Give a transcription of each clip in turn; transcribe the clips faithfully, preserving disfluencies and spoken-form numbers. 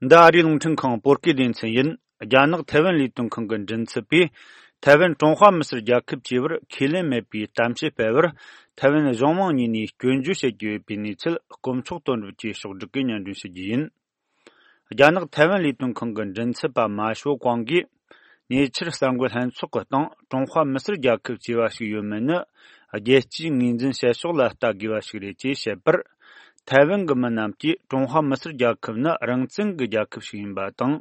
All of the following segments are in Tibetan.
འདི་ཨ་རིའི་རླུང་འཕྲིན་ཁང་བོད་སྐད་སྡེ་ཚན་ཡིན། རྒྱ་ནག་ཐའེ་ཝན་ལས་དོན་ཁང་གི་མགྲིན་ཚབ་པས། ཐའེ་ཝན་ཀྲུང་ཧྭ་མི་སེར་རྒྱལ་ཁབ་ཅེས་པར་ཁས་ལེན་མེད་པའི་གཏམ་བཤད་སྤེལ་བར། ཐའེ་ཝན་གཞུང་མང་གཉིས་ནས་སྐྱོན་བརྗོད་བྱེད་ཀྱི་ཡོད་པའི་གནས་ཚུལ། དཀོན་མཆོག་དོན་གྲུབ་ཀྱིས་ཕྱོགས་བསྒྲིགས་ཀྱིས་སྙན་སྒྲོན་ཞུ་རྒྱུ་ཡིན། རྒྱ་ནག་ཐའེ་ཝན་ལས་དོན་ཁང་གི་མགྲིན་ཚབ་པ་མ་ཞོ་ཀོང་གིས། ཉེ་ཆར་གསར་འགོད་ལྷན་ཚོགས་ཀྱི་སྟེང་ཀྲུང་ཧྭ་མི་སེར་རྒྱལ་ཁབ་ཅེས་པ་ཞིག་ཡོད་མེད་ནི། རྒྱལ་སྤྱིའི་ངོས་འཛིན་བྱེད་ཕྱོགས་ལ་ལྟ་དགོས་པ་ཞིག་རེད་ཅེས་བཤད་པར། ཐའེ་ཝན་གྱི་མི་རྣམས་ཀྱིས་ཀྲུང་ཧྭ་མི་སེར་རྒྱལ་ཁབ་ནི་རང་བཙན་གྱི་རྒྱལ་ཁབ་ཞིག་ཡིན་པ་དང་།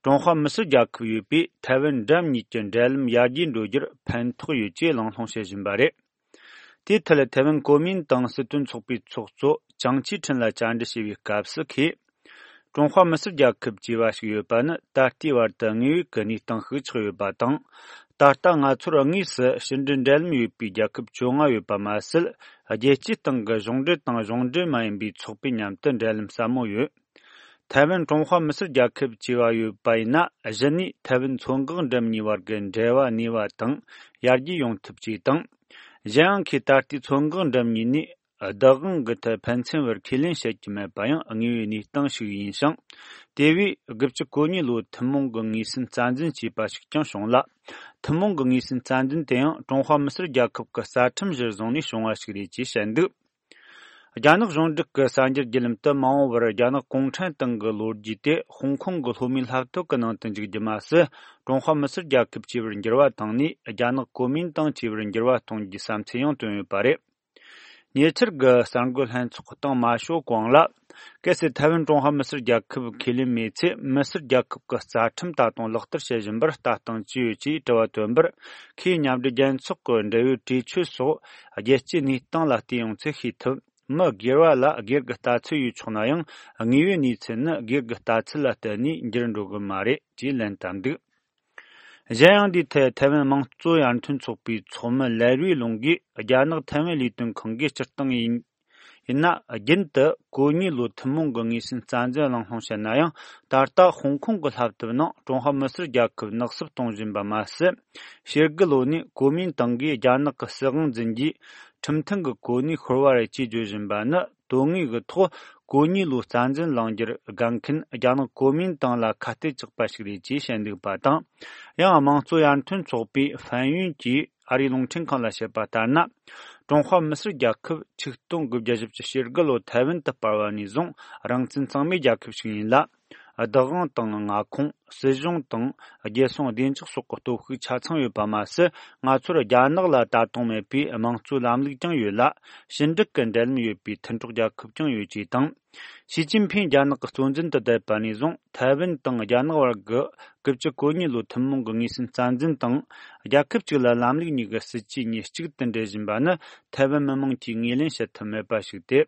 ཀྲུང་ཧྭ་མི་སེར་རྒྱལ་ཁབ་ཡོད་པས་ཐའེ་ཝན་འགྲམ་གཉིས་ཀྱི་འབྲེལ་ལམ་ཡར་རྒྱས་འགྲོ་རྒྱུར་ཕན་ཐོགས་ཡོད་ཅེས་གླེང་སློང་བྱེད་བཞིན་པ་རེད། དེའི་ཐད་ཐའེ་ཝན་གོ་མིན་ཏང་སྲིད་དོན་ཚོགས་པའི་ཚོགས་གཙོ་ཅང་ཅི་ཁྲིན་ལ་བཅར་འདྲི་བྱས་པའི་སྐབས་སུ། ཁོས་ཀྲུང་ཧྭ་མི་སེར་རྒྱལ་ཁབ་ཅེས་པ་ཞིག་ཡོད་པ་ནི་ད་ལྟའི་བར་དུ་དངོས་ཡོད་ཀྱི་གནས་སྟངས་ཤིག་ཆགས་ཡོད་པ་དང་། ད་ལྟ་ང་ཚོར་དངོས་སུ་ཕྱི་འབྲེལ་འབྲེལ་ལམ་ཡོད་པའི་རྒྱལ་ཁབ་བཅོ་ལྔ་ཡོད་པ་མ་ཟད། རྒྱལ་སྤྱིའི་སྟེང་གི་གཞུང་འབྲེལ་དང་གཞུང་འབྲེལ་མ་ཡིན་པའི་ཚོགས་པའི་མཉམ་དུ་འབྲེལ་ལམ་ཟབ་མོ་ཡོད། ཐའེ་ཝན་ཀྲུང་ཧྭ་མི་སེར་རྒྱལ་ཁབ་ཅེས་པ་ཡོད་པ་ཡིན་ན། གཞི་ནས་ཐའེ་ཝན་མཚོ་འགག་འགྲམ་གཉིས་བར་གྱི་འབྲེལ་བ་གནས་པ་དང་ཡར་རྒྱས་ཡོང་ཐབས་བཅས་དང་། གཞན་ཡང་ཁོས་ད་ལྟའི་མཚོ་འགག་འགྲམ་གཉིས་ནས་བདག་དབང་གི་ཐད་ཕན་ཚུན་བར་ཁས་ལེན་བྱེད་ཀྱི་མེད་པ་ཡང་དངོས་ཡོད་གནས་སྟངས་ཤིག་ཡིན་ཞིང་། དེ་བས་དགུ་བཅུ་གོ་གཉིས་ལོའི་ཐུན་མོང་གི་ངོས་ཟིན་རྩ་འཛིན་བྱས་པ་ཞིག་ཀྱང་བྱུང་ལ། ཐུན་མོང་གི་ངོས་ཟིན་རྩ་འཛིན་དེ་ཡང་ཀྲུང་ཧྭ་མི་སེར་རྒྱལ་ཁབ་ཀྱི་རྩ་ཁྲིམས་གཞིར་བཟུང་ནས་བྱུང་བ་ཞིག་རེད་ཅེས་བཤད་འདུག། རྒྱ་ནག་གཞུང་འབྲེལ་གྱི་གསར་འགྱུར་བརྒྱུད་ལམ་དུ་མ་འོངས་པར་རྒྱ་ནག་གུང་ཁྲན་ཏང་གི་ལོ་རྒྱུས་དེ་ཧོང་ཀོང་གི་ལྷོ་མའི་ལྷ་སྟོད་ཀྱི་ནང་དུ་འཇུག་རྒྱུ་མ་ཟད། ཀྲུང་ཧྭ་མི་སེར་རྒྱལ་ཁབ་ཅེས་པར་འགྱུར་བ་བཏང་ནས། རྒྱ་ནག་གོ་མིན་ཏང་ཅེས་པར་འགྱུར་བ་གཏོང་རྒྱུའི་བསམ་ཚུལ་ཡང་བཏོན་ཡོད་པ་རེད། ཉེ་ཆར་གྱི་གསར་འགོད་ལྷན་ཚོགས་སྟེང་མ་ཞོ་ཀོང་ལ། གལ་སྲིད་ཐའེ་ཝན་ཀྲུང་ཧྭ་མི་སེར་རྒྱལ་ཁབ་ཁས་ལེན་མེད་ཚེ། མི་སེར་རྒྱལ་ཁབ་ཀྱི་རྩ་ཁྲིམས་ད་དུང་ལག་བསྟར་བྱེད་བཞིན་པར་ལྟ་སྟངས་ཅི་ཡོད་ཅེས་དྲི་བ་བཏོན་པར། ཁོས་མཉམ་འབྲེལ་རྒྱལ་ཚོགས་ཀྱི་འབྲེལ་ཡོད་གྲོས་ཆོད་སོགས་རྒྱལ་སྤྱིའི་གནས་སྟངས་ལ་བལྟས་ཡོང་ཚུལ་ཤེས་ཐུབ། མི་སྒེར་བ་ལ་སྒེར་གྱི་ལྟ་ཚུལ་ཡོད་ཆོག་ན་ཡང་། དངོས་ཡོད་གནས་ཚུལ་ནི་སྒེར་གྱི་ལྟ་ཚུལ་ལ་བརྟེན་ནས་འགྱུར་འགྲོ་གི་མ་རེད་ཅེས་ལན་བཏབ་འདུག། གཞན་ཡང་། འདིའི་ཐད་ཐའེ་ཝན་དམངས་གཙོ་ཡར་ཐོན་ཚོགས་པའི་ཚོགས་མི་ལའེ་རུའི་ལུང་གིས། རྒྱ་ནག་ཐའེ་ཝན་ལས་དོན་ཁང་གིས་སྤྱིར་བཏང་ཡིན་ཡིན་ན། རྒྱུན་དུ་གོ་གཉིས་ལོའི་ཐུན་མོང་གི་ངོས་ཟིན་རྩ་འཛིན་གླེང་སློང་བྱེད་ན་ཡང་། ད་ལྟ་ཧོང་ཀོང་གི་ལྷ་སྟོད་ནང་ཀྲུང་ཧྭ་མི་སེར་རྒྱལ་ཁབ་ནག་སུབ་གཏོང་བཞིན་པ་མ་ཟད། ཕྱི་རྒྱལ་ལོ་ནས་གོ་མིན་ཏང་གིས་རྒྱ་ནག་གི་སྲིད་དབང་འཛིན་རྒྱུའི་ཁྲིམས་མཐུན་གྱི་གོ་གནས་ཤོར་བ་རེད་ཅེས་བརྗོད་བཞིན་པ་ནི། དོན་དངོས་ཀྱི་ཐོག་གོ་གཉིས་ལོའི་རྩ་འཛིན་གླེང་རྒྱུར་དགའ་མཁན་རྒྱ་ནག་གོ་མིན་ཏང་ལ་ཁ་གཏད་གཅོག་པ་ཞིག་རེད་ཅེས་བཤད་འདུག་པ་དང་། ཡང་དམངས་གཙོ་ཡར་ཐོན་ཚོགས་པའི་ཧྥན་ཡུན་གྱིས་ཨ་རིའི་རླུང་འཕྲིན་ཁང་ལ་བཤད་པ་ལྟར་ན། ཀྲུང་ཧྭ་མི་སེར་རྒྱལ་ཁབ་ཆིག་སྟོང་དགུ་བརྒྱ་བཞི་བཅུ་ཞེ་དགུ་ལོ་ཐའེ་ཝན་དུ་སྤར་བ་ནས་བཟུང་རང་བཙན་གཙང་མའི་རྒྱལ་ཁབ་ཞིག་ཡིན་ལ། བདག་དབང་དང་མངའ་ཁོངས། སྲིད་གཞུང་དང་རྒྱལ་སྲུང་བདེ་འཇགས་སོགས་ཀྱི་སྟོབས་ཤུགས་ཆ་ཚང་ཡོད་པ་མ་ཟད། ང་ཚོར་རྒྱ་ནག་ལ་ལྟ་སྟངས་མེད་པའི་དམངས་གཙོའི་ལམ་ལུགས་ཀྱང་ཡོད་ལ། ཞི་འགྲིག་གི་འབྲེལ་ལམ་ཡོད་པའི་མཐུན་གྲོགས་རྒྱལ་ཁབ་ཀྱང་ཡོད་ཅེས་དང་། ཞི་ཅིན་ཕིང་རྒྱ་ནག་གི་གཙོ་འཛིན་དུ་བསྡད་པ་ནས་བཟུང་ཐའེ་ཝན་དང་རྒྱ་ནག་བར་གྱི་དགུ་བཅུ་གོ་གཉིས་ལོའི་ཐུན་མོང་གི་ངོས་ཟིན་རྩ་འཛིན་དང་། རྒྱལ་ཁབ་གཅིག་ལ་ལམ་ལུགས་གཉིས་ཀྱི་སྲིད་ཇུས་གཉིས་གཅིག་ཏུ་འདྲེས་བཞིན་པ་ནི། ཐའེ་ཝན་མི་དམངས་ཀྱིས་ངོས་ལེན་བྱེད་ཐུབ་མེད་པ་ཞིག་སྟེ།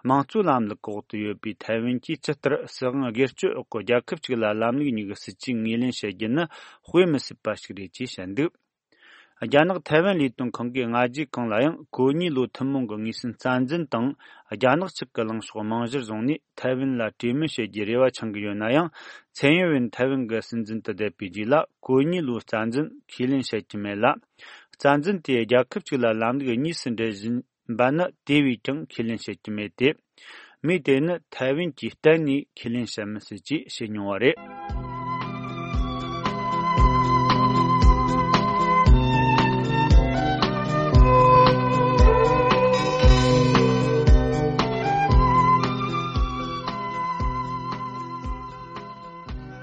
དམངས་གཙོའི་ལམ་ལུགས་འོག་ཏུ་ཡོད་པའི་ཐའེ་ཝན་གྱིས་ཇི་ལྟར་སྲིད་དབང་སྒེར་གཅོད་འོག་གི་རྒྱལ་ཁབ་ཅིག་ལ་ལམ་ལུགས་གཉིས་ཀྱི་སྲིད་ཇུས་ངོས་ལེན་བྱེད་རྒྱུ་ནི་དཔེ་མི་སྲིད་པ་ཞིག་རེད་ཅེས་བཤད་འདུག། རྒྱ་ནག་ཐའེ་ཝན་ལས་དོན་ཁང་གིས་སྔ་རྗེས་གང་ལ་ཡང་གོ་གཉིས་ལོའི་ཐུན་མོང་གི་ངོས་ཟིན་རྩ་འཛིན་དང་། རྒྱ་ནག་ཕྱོགས་ཀྱི་ལངས་ཕྱོགས་རྨང་གཞིར་བཟུང་ནས་ཐའེ་ཝན་ལ་གྲོས་མོལ་བྱེད་རྒྱུའི་རེ་བ་འཆང་གི་ཡོད་ན་ཡང་། ཚན་ཡོན་ཝེན་ཐའེ་ཝན་གྱི་སྲིད་འཛིན་དུ་བསྡད་པའི་རྗེས་ལ་གོ་གཉིས་ལོའི་རྩ་འཛིན་ཁས་ལེན་བྱེད་ཀྱི་མེད་ལ། རྩ་འཛིན་དེ་རྒྱལ་ཁབ་གཅིག་ལ་ལམ་ལུགས་གཉིས་སུ་འདྲེས་བཞིན་པ་ནི་དེ་བས་ཀྱང་ཁས་ལེན་བྱེད་ཀྱི་མེད་དེ། མིས་དེ་ནི་ཐའེ་ཝན་གྱིས་གཏན་ནས་ཁས་ལེན་བྱེད་མི་སྲིད་ཅེས་བཤད་མྱོང་བ་རེད།